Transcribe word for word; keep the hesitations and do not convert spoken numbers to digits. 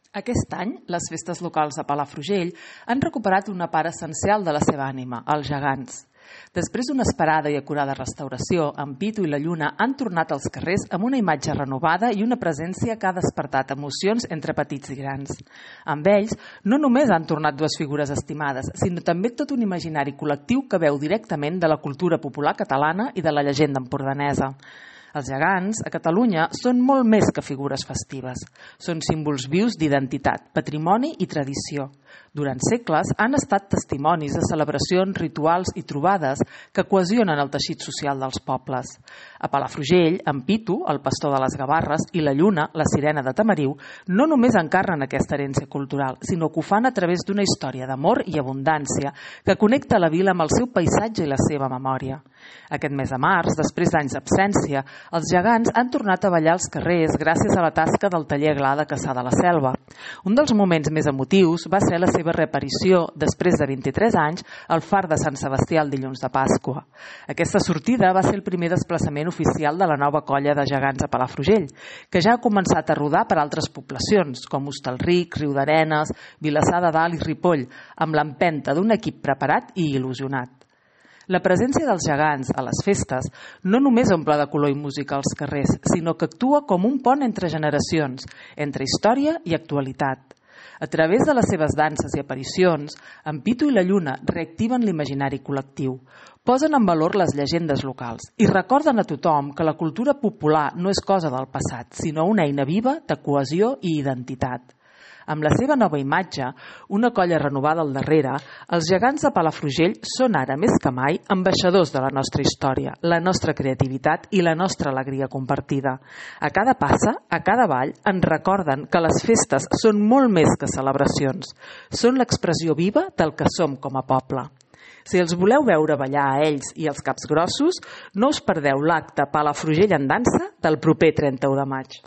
Aquest any, les festes locals a Palafrugell han recuperat una part essencial de la seva ànima, els gegants. Després d'una esperada i acurada restauració, en Pitu i la Lluna han tornat als carrers amb una imatge renovada i una presència que ha despertat emocions entre petits i grans. Amb ells, no només han tornat dues figures estimades, sinó també tot un imaginari col·lectiu que veu directament de la cultura popular catalana i de la llegenda empordanesa. Els gegants, a Catalunya, són molt més que figures festives. Són símbols vius d'identitat, patrimoni i tradició. Durant segles han estat testimonis de celebracions, rituals i trobades que cohesionen el teixit social dels pobles. A Palafrugell, en Pitu, el pastor de les Gavarres, i la Lluna, la sirena de Tamariu, no només encarnen aquesta herència cultural, sinó que ho fan a través d'una història d'amor i abundància que connecta la vila amb el seu paisatge i la seva memòria. Aquest mes de març, després d'anys d'absència, els gegants han tornat a ballar als carrers gràcies a la tasca del taller Gla de Cassà de la Selva. Un dels moments més emotius va ser la seva reaparició, després de vint-i-tres anys, al far de Sant Sebastià el dilluns de Pasqua. Aquesta sortida va ser el primer desplaçament oficial de la nova colla de gegants a Palafrugell, que ja ha començat a rodar per altres poblacions, com Hostalric, Riudarenes, Vilassar de Dalt i Ripoll, amb l'empenta d'un equip preparat i il·lusionat. La presència dels gegants a les festes no només omple de color i música als carrers, sinó que actua com un pont entre generacions, entre història i actualitat. A través de les seves danses i aparicions, en Pitu i la Lluna reactiven l'imaginari col·lectiu, posen en valor les llegendes locals i recorden a tothom que la cultura popular no és cosa del passat, sinó una eina viva de cohesió i identitat. Amb la seva nova imatge, una colla renovada al darrere, els gegants de Palafrugell són ara més que mai ambaixadors de la nostra història, la nostra creativitat i la nostra alegria compartida. A cada passa, a cada ball, ens recorden que les festes són molt més que celebracions. Són l'expressió viva del que som com a poble. Si els voleu veure ballar a ells i als Caps Grossos, no us perdeu l'acte Palafrugell en dansa del proper trenta-u de maig.